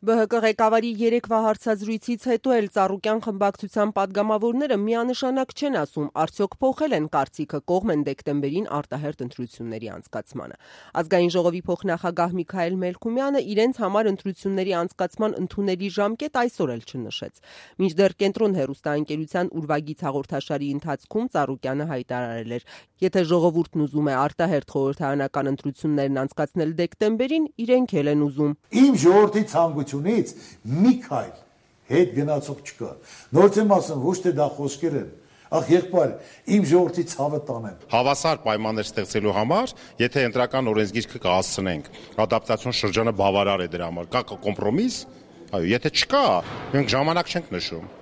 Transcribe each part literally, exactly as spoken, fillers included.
Բ Հ Կ ղեկավարի երեկվա հարցազրույցից հետո էլ Ծառուկյան խմբակցության պատգամավորները միանշանակ չեն ասում, արդյոք փոխել են կարծիքը, կողմ են դեկտեմբերին արտահերթ ընտրությունների անցկացմանը։ Ազգային ժողովի փոխնախագահ Միքայել Մելքումյանը իրենց համար ընտրությունների անցկացման ընդունելի ժամկետ այսօր էլ չնշեց։ Մինչդեռ Կենտրոն հեռուստաընկերության ուրվագիծ հաղորդաշարի ընթացքում Ծառուկյանը հայտարարել էր, եթե ժողովուրդն ուզում է արտահերթ խորհրդարանական ընտրություններն անցկացնել դեկտեմբերին, իրենք էլ են ուզում։ Իմ ժողովրդի ցանկությունից մի քայլ հետ գնացող չկա։ Նորից եմ ասում, ոչ թե դա խոսքեր են, ախ եղբայր, իմ ժողովրդի ցավը տանեմ։ Հավասար պայմաններ ստեղծելու համար, եթե ընտրական օրենսգիրքը կհասցնենք, ադապտացիոն շրջանը բավարար է դրա համար, կա կոմպրոմիս, այո, եթե չկա, մենք ժամանակ չենք նշում։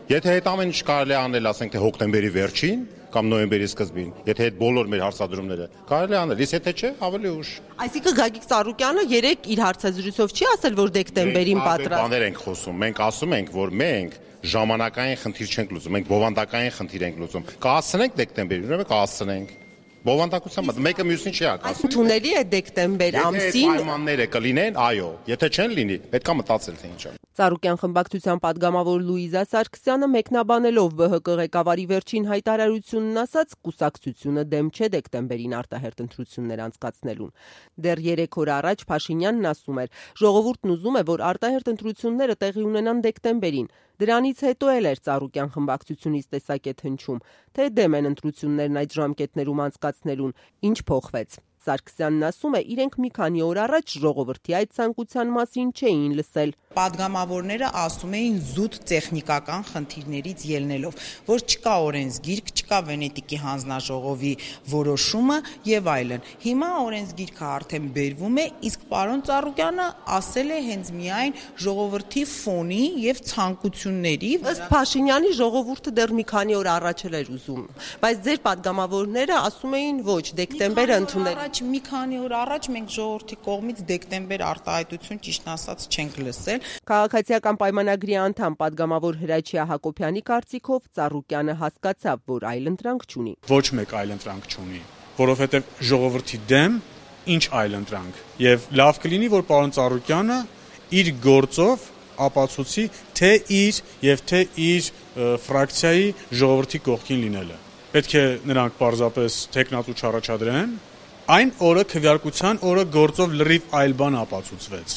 Եթե այդ ամեն ինչ կարելի է անել, ասենք թե հոկտեմբերի վերջին կամ նոյեմբերի սկզբին, եթե այդ բոլոր մեր հարցադրումները կարելի է անել, իսկ եթե չէ, ավելի ուշ։ Այսինքն Գագիկ Ծառուկյանը երեք իր հարցազրույցով չի ասել, որ դեկտեմբերին պատրաստ։ Բաներ ենք խոսում, մենք ասում ենք, որ մենք ժամանակային խնդիր չենք լուծում, մենք բովանդակային խնդիր ենք լուծում։ Կհասցնենք դեկտեմբերին, ուրեմն կհասցնենք։ Բովանդակությամբ մեկը մյուսին չի հակասում։ Ընդունելի է դեկտեմբեր ամսին։ Եթե պայմանները կլինեն, այո, եթե չեն լինի, պետք է մտածել թե ինչ է։ Ծառուկյան խմբակցության պատգամավոր Լուիզա Սարգսյանը մեկնաբանելով Բ Հ Կ ղեկավարի վերջին հայտարարությունն ասաց, կուսակցությունը դեմ չէ դեկտեմբերին արտահերթ ընտրություններ անցկացնելուն։ Դեռ երեք օր առաջ Փաշինյանն ասում էր, ժողովուրդն ուզում է, որ արտահերթ ընտրությունները տեղի ունենան դեկտեմբերին։ Դրանից հետո էլ էր Ծառուկյան խմբակցությունից տեսակետ հնչում, թե դեմ են ընտրություններն այդ ժամկետներում անցկացնելուն, ինչ փոխվեց։ Սարգսյանն ասում է, իրենք մի քանի օր առաջ ժողովրդի այդ ցանկության մասին չէին լսել։ Պատգամավորները ասում էին զուտ տեխնիկական խնդիրներից ելնելով, որ չկա օրենսգիրք, չկա Վենետիկի հանձնաժողովի որոշումը եւ այլն։ Հիմա օրենսգիրքը արդեն բերվում է, իսկ պարոն Ծառուկյանը ասել է հենց միայն ժողովրդի ֆոնի եւ ցանկությունների։ Ըստ Փաշինյանի ժողովուրդը դեռ մի քանի օր առաջ էր ուզում, բայց ձեր պատգամավորները ասում էին ոչ, դեկտեմբերը ընդունել։ Մի քանի օր առաջ մենք ժողովրդի կողմից դեկտեմբեր արտահայտություն ճիշտ ասած չենք լսել։ Քաղաքացիական պայմանագրի անդամ պատգամավոր Հրաչյա Հակոբյանի կարծիքով Ծառուկյանը հասկացավ, որ այլընտրանք չունի։ Ոչ մեկ այլընտրանք չունի, որովհետև ժողովրդի դեմ ինչ այլընտրանք։ Եվ լավ կլինի, որ պարոն Ծառուկյանը իր գործով ապացուցի թե իր եւ թե իր ֆրակցիայի ժողովրդի կողքին լինելը։ Պետք է նրանք պարզապես տեխնատու չառաջադրեն։ Այն օրը քվեարկության օրը գործով լրիվ այլ բան ապացուցվեց։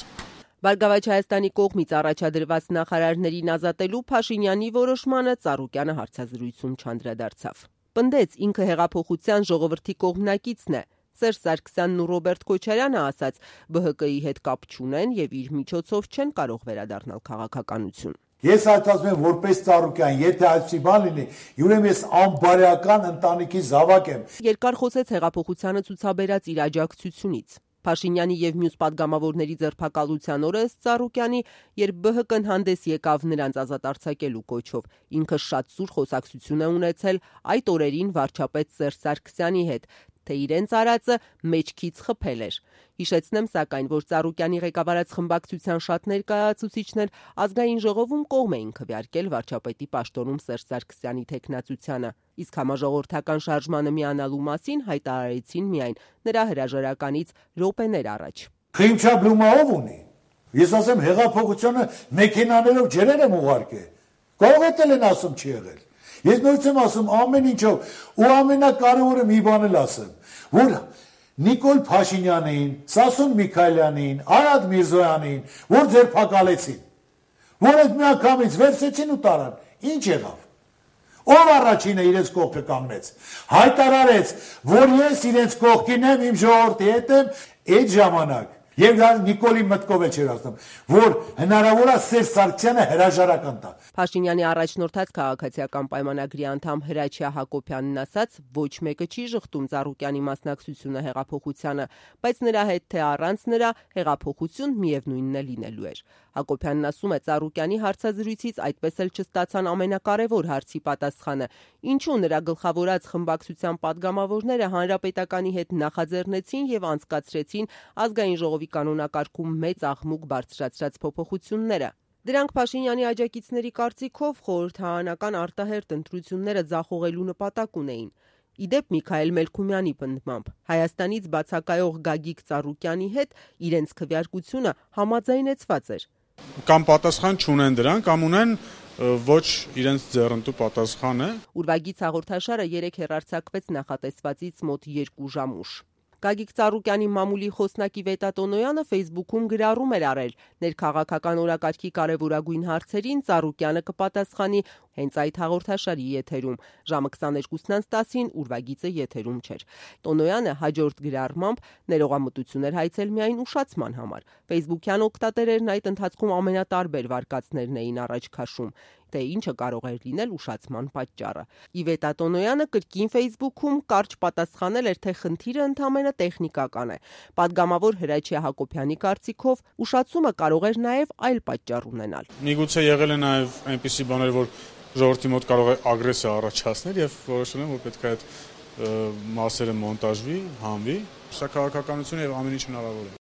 Բարգավաճ Հայաստանի կողմից առաջադրված նախարարներին ազատելու Փաշինյանի որոշմանը Ծառուկյանը հարցազրույցում չանդրադարձավ։ Պնդեց, ինքը հեղափոխության ժողովրդի կողմնակիցն է։ Սերժ Սարգսյանն ու Ռոբերտ Քոչարյանը ասաց, Բ Հ Կ-ի հետ կապ չունեն եւ իր միջոցով չեն կարող վերադառնալ քաղաքականություն։ Ես այդտասում եմ որպես Ծառուկյան, եթե այսպիսի բան լինի, ուրեմն ես անբարեական ընտանիքի զավակ եմ։ Երկար խոսեց հեղափոխությանը ցուցաբերած իր աջակցությունից։ Փաշինյանի եւ մյուս պատգամավորների ձերբակալության օրը ըստ Ծառուկյանի, երբ Բ Հ Կ-ն հանդես եկավ նրանց ազատ արձակելու կոչով, ինքը շատ սուր խոսակցություն է ունեցել այդ օրերին վարչապետ Սերժ Սարգսյանի հետ, թե իրենց արածը մեջքից խփել էր։ Հիշեցնեմ սակայն, որ Ծառուկյանի ղեկավարած խմբակցության շատ ներկայացուցիչներ ազգային ժողովում կողմ էին քվեարկել վարչապետի պաշտոնում Սերժ Սարգսյանի թեկնածությանը, իսկ համաժողովրդական շարժմանը միանալու մասին հայտարարեցին միայն նրա հրաժարականից րոպեներ առաջ։ Խիմչաբլումը ով ունի։ Ես ասեմ հեղափոխությունը մեքենաներով ջրեր եմ ուղարկել։ Կարող է են ասում չի եղել։ Ես նույնիսկ եմ ասում ամեն ինչով ու ամենակարևորը մի բան էլ ասեմ, որ Նիկոլ Փաշինյանին, Սասուն Միքայելյանին, Արադ Միրզոյանին, որ ձերբակալեցին, որ այդ միանգամից վերցեցին ու տարան, ինչ եղավ։ Ով առաջինը իրենց կողքը կանգնեց, հայտարարեց, որ ես իրենց կողքին եմ, իմ ժողովրդի հետ եմ, այդ ժամանակ Եվ դա Նիկոլի մտքով էլ չէր ասում, որ հնարավոր է Սերժ Սարգսյանը հրաժարական տա։ Փաշինյանի առաջնորդած քաղաքացիական պայմանագրի անդամ Հրաչյա Հակոբյանն ասաց, ոչ մեկը չի ժխտում Ծառուկյանի մասնակցությունը հեղափոխությանը, բայց նրա հետ թե առանց նրա հեղափոխություն միևնույնն է լինելու էր։ Հակոբյանն ասում է, Ծառուկյանի հարցազրույցից այդպես էլ չստացան ամենակարևոր հարցի պատասխանը, ինչու նրա գլխավորած խմբակցության պատգամավորները հանրապետականի հետ նախաձեռնեցին եւ անցկացրեցին ազգային ժողովի կանոնակարգում մեծ աղմուկ բարձրացրած փոփոխությունները։ Դրանք Փաշինյանի աջակիցների կարծիքով խորհրդարանական արտահերթ ընտրությունները ձախողելու նպատակ ունեին։ Իդեպ Միքայել Մելքումյանի պնդմամբ Հայաստանից բացակայող Գագիկ Ծառուկյանի հետ իրենց քվեարկությունը համաձայնեցված էր։ Կամ պատասխան չունեն դրան, կամ ունեն ոչ իրենց ձեռնտու պատասխանը։ Ուրվագից հաղորդաշարը երեք հեռարձակվեց նախատեսվածից մոտ երկու ժամ ուշ։ Գագիկ Ծառուկյանի մամուլի խոսնակի Վետա Տոնոյանը Facebook-ում գրառում էր արել. ներքաղաքական օրակարգի կարևորագույն հարցերին Ծառուկյանը կպատասխանի հենց այդ հաղորդաշարի եթերում։ Ժամը քսաներկուսն անց տասին ուրվագիծը եթերում չէր։ Տոնոյանը հաջորդ գրառմամբ ներողամտություն էր հայցել միայն ուշացման համար։ Facebook-յան օգտատերերն այդ ընթացքում ամենատարբեր վարկածներն էին առաջ քաշում, թե ինչը կարող էր լինել ուշացման պատճառը։ Իվետա Տոնոյանը կրկին Facebook-ում կարճ պատասխանել էր, թե խնդիրը ընդամենը տեխնիկական է։ Պատգամավոր Հրաչյա Հակոբյանի կարծիքով ուշացումը կարող էր նաև այլ պատճառ ունենալ։ Միգուցե եղել է նաև այնպիսի բաներ, որ ժողովրդի մոտ կարող է ագրեսիա առաջացնել եւ որոշել են, որ պետք է այդ մասերը մոնտաժվի, հանվի։ Սա քաղաքականություն եւ ամեն ինչ հնարավոր է։